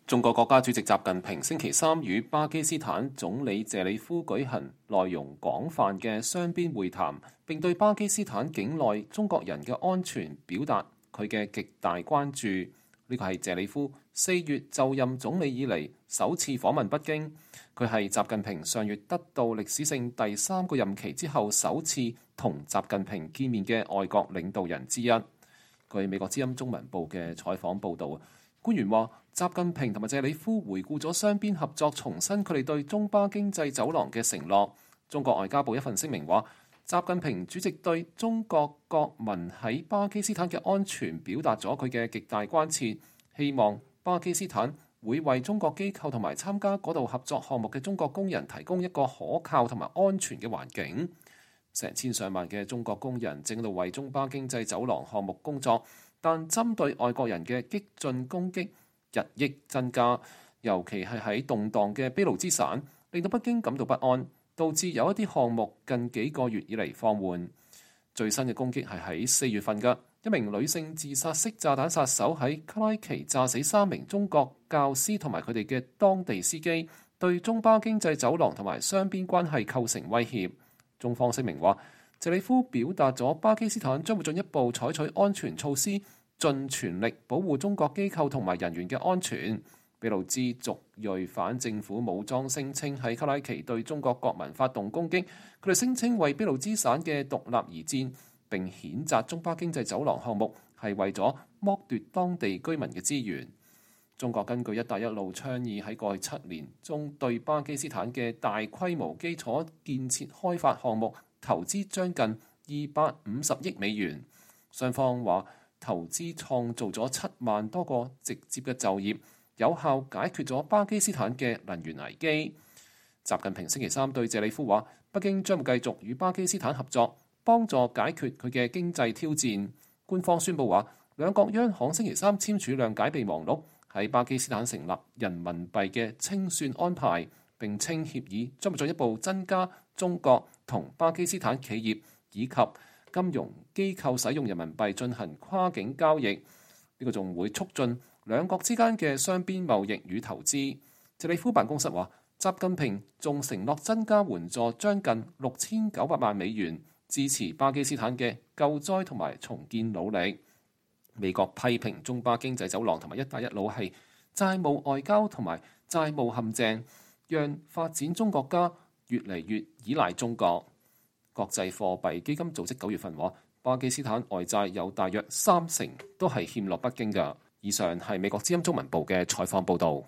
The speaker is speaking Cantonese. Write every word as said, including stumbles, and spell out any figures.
中國國家主席習近平星期三與巴基斯坦總理謝里夫舉行內容廣泛嘅雙邊會談，並對巴基斯坦境內中國人嘅安全表達佢嘅極大關注。呢個係謝里夫四月就任總理以嚟首次訪問北京，佢係習近平上月得到歷史性第三個任期之後首次同習近平見面嘅外國領導人之一。據美國之音中文部嘅採訪報導，官員話，習近平同埋謝里夫回顧咗雙邊合作，重申佢哋對中巴經濟走廊嘅承諾。中國外交部一份聲明話，習近平主席對中國國民喺巴基斯坦嘅安全表達咗佢嘅極大關切，希望巴基斯坦會為中國機構同埋參加嗰度合作項目嘅中國工人提供一個可靠同埋安全嘅環境。成千上萬嘅中國工人正喺度為中巴經濟走廊項目工作，但針對外國人嘅激進攻擊日益增加，尤其係喺動盪嘅俾路支省，令到北京感到不安，導致有一啲項目近幾個月以嚟放緩。最新嘅攻擊係喺四月份嘅，一名女性自殺式炸彈殺手喺卡拉奇炸死三名中國教師同埋佢哋嘅當地司機，對中巴經濟走廊同埋雙邊關係構成威脅。中方聲明話，謝里夫表達咗巴基斯坦將會進一步採取安全措施，盡全力保護中國機構同埋人員嘅安全。俾路支族裔反政府武裝聲稱喺卡拉奇對中國國民發動攻擊，佢哋聲稱為俾路支省嘅獨立而戰，並譴責中巴經濟走廊項目係為咗剝奪當地居民嘅資源。中國根據一帶一路倡議喺過去七年中對巴基斯坦嘅大規模基礎建設開發項目投資將近二百五十億美元。雙方話投資創造咗七萬多個直接嘅就業，有效解決咗巴基斯坦嘅能源危機。習近平星期三對謝里夫話，北京將會繼續與巴基斯坦合作，幫助解決佢嘅經濟挑戰。官方宣布話，兩國央行星期三簽署諒解備忘錄，喺巴基斯坦成立人民幣嘅清算安排，並稱協議將會進一步增加中國同巴基斯坦企業以及金融機構使用人民幣進行跨境交易。呢、這個仲會促進兩國之間嘅雙邊貿易與投資。謝里夫辦公室話，習近平仲承諾增加援助將近六千九百萬美元，支持巴基斯坦嘅救災同埋重建努力。美國批評中巴經濟走廊同埋一帶一路係債務外交同埋債務陷阱，讓發展中國家越嚟越依賴中國。國際貨幣基金組織九月份話，巴基斯坦外債有大約三成都係欠落北京㗎。以上係美國之音中文部嘅採訪報導。